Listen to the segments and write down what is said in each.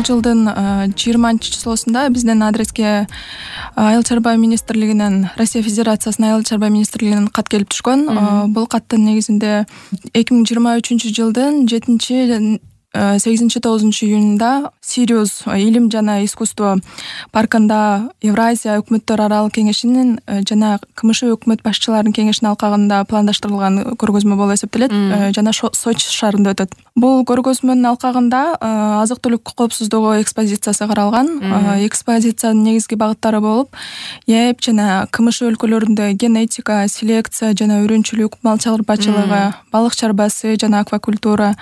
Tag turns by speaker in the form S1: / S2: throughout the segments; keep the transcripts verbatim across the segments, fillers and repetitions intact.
S1: бул жылдын жыйырманчы числосунда биздин адреске Айыл чарба министрлигинен, Россия Федерациясынын Айыл чарба министрлигинен кат келип түшкөн. Бул каттын негизинде эки миң жыйырма үчүнчү жылдын жетинчи сегизинчи тогузунчу июнунда Сириус илим жана искусство паркында Евразия өкмөттөр аралык кеңешинин жана КМШ өкмөт башчыларынын кеңешинин алкагында пландаштырылган көргөзмө болуп эсептелет жана Сочи шаарында өтөт. Бул көргөзмөнүн алкагында азык-түлүк коопсуздугу экспозициясы каралган. Экспозициянын негизги багыттары болуп, ЭЭП жана КМШ өлкөлөрүндө генетика, селекция жана үрүнчүлүк, мал чарбачылыгы, балык чарбасы жана аквакультура,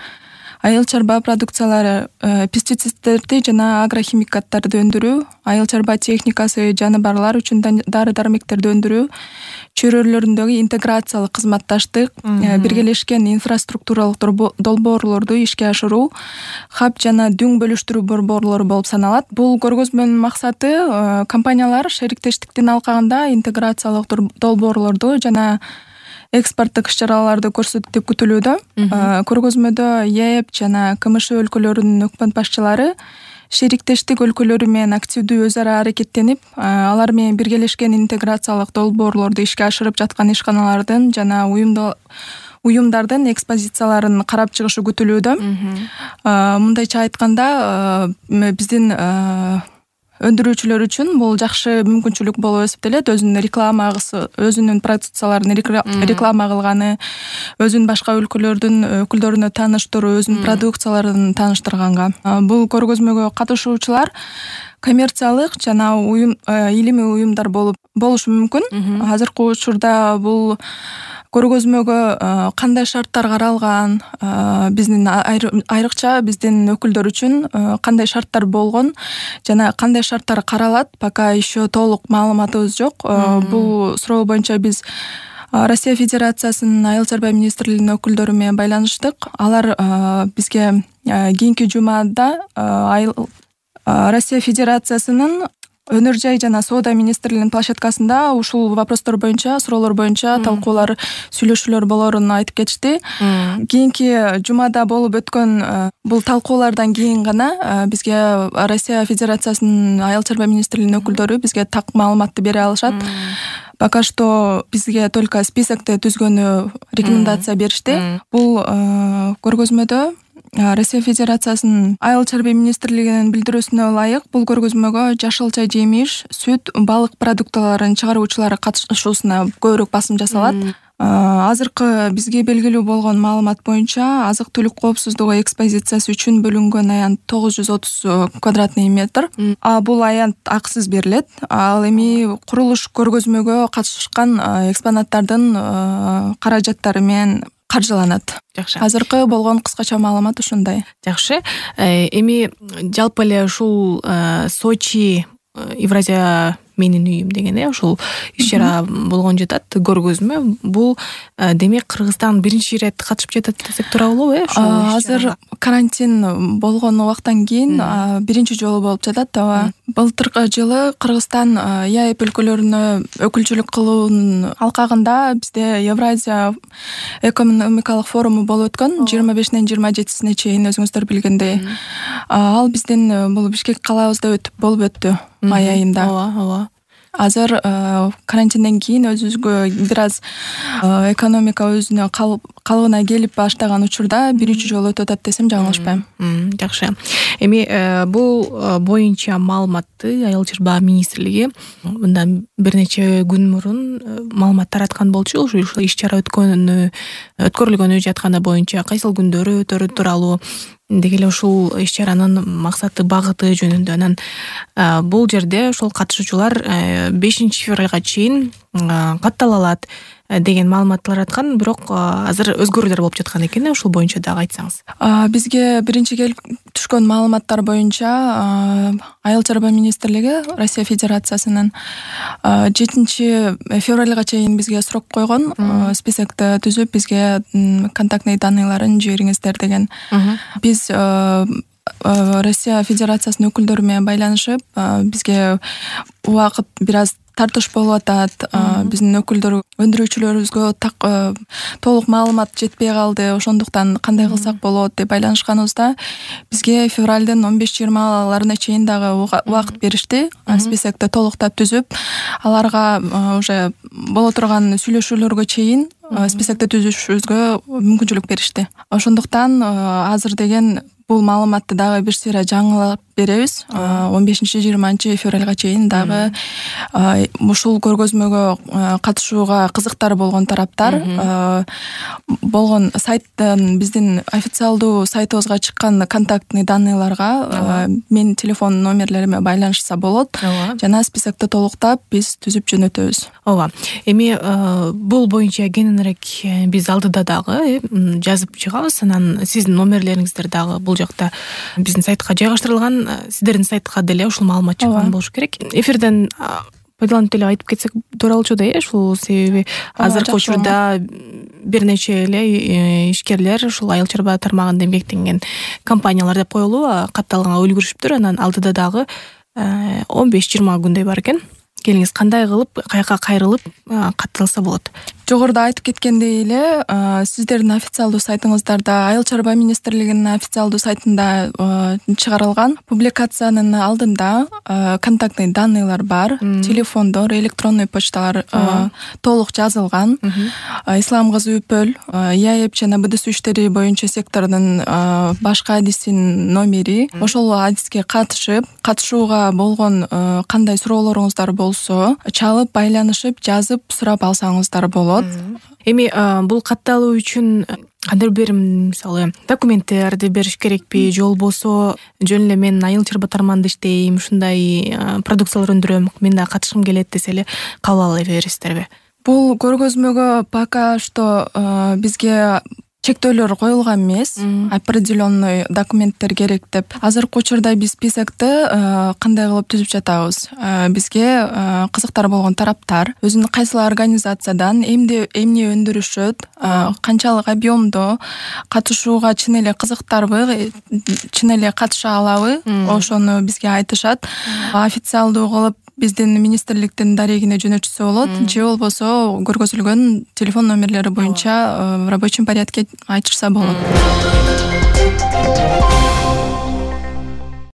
S1: айыл чарба продукциялары, пестициддерди жана агрохимикаттарды өндүрүү, айыл чарба техникасы, жаныбарлар үчүн дары-дармектерди өндүрүү, чөйрөлөрүндөгү интеграциялык кызматташтык, биргелешкен инфраструктуралык долбоорлорду ишке ашыруу, хаб жана дүң бөлүштүрүү борборлору болуп саналат. Бул көргөзмөнүн максаты компаниялар шериктештиктин алкагында интеграциялык долбоорлорду жана экспорттук иш-чараларды көрсөтөт деп күтүлүүдө. Көргөзмөдө ЭЭП жана КМШ өлкөлөрүнүн өкмөт башчылары шериктештик өлкөлөрү менен активдүү өз ара аракеттенип, алар менен биргелешкен интеграциялык долбоорлорду ишке ашырып жаткан ишканалардын жана уюмдардын экспозицияларын карап чыгышы күтүлүүдө. Мындайча айтканда, биздин өндүрүүчүлөр үчүн бул жакшы мүмкүнчүлүк болуп эсептелет. Өзүнүн рекламасы, өзүнүн продукцияларын реклама кылганы, өзүн башка өлкөлөрдүн өкүлдөрүнө тааныштыруу, өзүнүн продукцияларын тааныштырганга. Бул көргөзмөгө катышуучулар коммерциялык жана уюм илимий уюмдар болуп болушу мүмкүн. Азыркы учурда бул көргөзмөгө кандай шарттар каралган, биздин айрыкча биздин өкүлдөр үчүн кандай шарттар болгон жана кандай шарттар каралат, пока еще толук маалыматыбыз жок. Бул суроо боюнча биз Россия Федерациясынын Айыл чарба министрлигинин өкүлдөрү менен байланыштык. Алар бизге кийинки жумада Россия Федерациясынын Өнөр жай жана соода министрлигинин площадкасында ушул вопростор боюнча, суроолор боюнча талкуулар, сүйлөшүүлөр болорун айтып кетишти. Кийинки жумада болуп өткөн бул талкуулардан кийин гана бизге Россия Федерациясынын Айыл чарба министрлигинин өкүлдөрү бизге так маалыматты бере алышат. Пока что бизге только списокты түзгөнү рекомендация беришти. Бул көргөзмөдө Россия Федерациясынын Айыл чарба министрлигинин билдирүүсүнө ылайык бул көргөзмөгө жашылча жемиш, сүт, балык продуктыларын чыгаруучулар катышуусуна көбүрөөк басым жасалат. Азыркы бизге белгилүү болгон маалымат боюнча азык-түлүк коопсуздугу экспозициясы үчүн бөлүнгөн аянт тогуз жүз отуз квадратный метр. А бул аянт акысыз берилет. Ал эми курулуш көргөзмөгө катышкан экспонаттардын каражаттары менен каржыланат.
S2: Жакшы.
S1: Азыркы болгон кыскача маалымат ушундай.
S2: Жакшы. Эми жалпы эле ушул Сочи Евразия менин үйүм деген э ушул иш-чара болгон жатат, көргөзмө. Бул демек Кыргызстан биринчи ирет катышып жатат десек туура болобу э?
S1: Азыр карантин болгон убактан кийин биринчи жолу болуп жатат. Ооба. Былтыркы жылы Кыргызстан ЭЭП өлкөлөрүнө өкүлчүлүк кылуунун алкагында бизде Евразия экономикалык форуму болуп өткөн жыйырма бешинен жыйырма жетисине чейин, өзүңүздөр билгендей. Ал биздин бул Бишкек калаабызда өтүп болуп өттү май айында.
S2: Ооба, ооба.
S1: Азыр карантинден кийин өзүбүзгө бир аз экономика өзүнө калыбына келип баштаган учурда биринчи жолу өтүп атат десем жаңылышпайм.
S2: Жакшы. Эми бул боюнча маалыматты Айыл чарба министрлиги мындан бир нече күн мурун маалымат тараткан болчу. Ушул иш-чара өткөнү, өткөрүлгөнү жатканы боюнча кайсыл күндөрү өтөрү тууралуу, деги эле ушул иш-чаранын максаты, багыты жөнүндө. Анан бул жерде ошол катышуучулар бешинчи февралга чейин каттала алат деген маалымат тараткан, бирок азыр өзгөрүүлөр болуп жаткан экен. Ушул боюнча дагы айтсаңыз.
S1: Бизге биринчи келип түшкөн маалыматтар боюнча Айыл чарба министрлиги Россия Федерациясынын жетинчи февралга чейин бизге срок койгон, списокты түзүп бизге контактный данныйларын жибериңиздер деген. Биз Россия Федерациясынын өкүлдөрү менен байланышып, бизге убакыт бир аз тартыш болуп атат, биздин өкүлдөр өндүрүүчүлөрүбүзгө так толук маалымат жетпей калды, ошондуктан кандай кылсак болот деп байланышканыбызда бизге февралдын он беш жыйырмаларына чейин дагы убакыт беришти. Списокто толуктап түзүп, аларга уже боло турган сүйлөшүүлөргө чейин списокто түзүшүбүзгө мүмкүнчүлүк беришти. Ошондуктан азыр деген бул маалыматты дагы бир сыйра жаңылап беребиз. он бешинчи жыйырманчы февралга чейин дагы ушул көргөзмөгө катышууга кызыктар болгон тараптар болгон сайттан биздин официалдуу сайтыбызга чыккан контактный данныйларга менин телефон номерлериме байланышса болот. Жана списокто толуктап биз түзүп жөнөтөбүз.
S2: Ооба. Эми бул боюнча кененирээк биз алдыда дагы жазып чыгабыз. Анан сиздин номерлериңиздер дагы бул жакта биздин сайтка жайгаштырылган. Сиздердин сайтка деле ушул маалымат чыккан болушу керек. Эфирден пайдаланып деле айтып кетсек туура болчу да, э, ушул себеби азыркы учурда бир нече эле ишкерлер ушул айыл чарба тармагында эмгектенген компаниялар деп коелу катталганга үлгүрүшүптүр. Анан алдыда дагы он беш жыйырма күндөй бар экен. Келиңиз, кандай кылып, каяка кайрылып катталса болот?
S1: Жогоруда айтып кеткендей эле, сиздердин официалдуу сайтыңыздарда, Айыл чарба министрлигинин официалдуу сайтында чыгарылган публикациянын алдында контактный данныйлар бар, телефондор, электронный почталар толук жазылган. Ислам кызы Үпөл, ЯЭП жана БДС иштери боюнча сектордун башкы адисинин номери. Ошол адиске катышып, катышууга болгон кандай суроолоруңуздар болсо, чалып, байланышып, жазып сурап алсаңыздар болот.
S2: Эми бул катталуу үчүн кандайдыр бир мисалы документтерди бериш керекпи, же болбосо жөн эле мен айыл чарба тармагында иштейм, ушундай продукциялар өндүрөм, мен да катышкым келет десе эле кабыл ала бересиздерби?
S1: Бул көргөзмөгө пока что бизге чектөөлөр коюлган эмес, определенный документтер керек деп. Азыркы учурда биз списокты кандай кылып түзүп жатабыз? Бизге кызыктар болгон тараптар өзүнүн кайсыл организациядан эмне эмне өндүрүшөт, канчалык объемдо катышууга чын эле кызыктарбы, чын эле катыша алабы, ошону бизге айтышат. Официалдуу кылып биздин министрликтин дарегине жөнөтүшсө болот, же болбосо көргөзүлгөн телефон номерлери боюнча в рабочем порядке айтышса болот.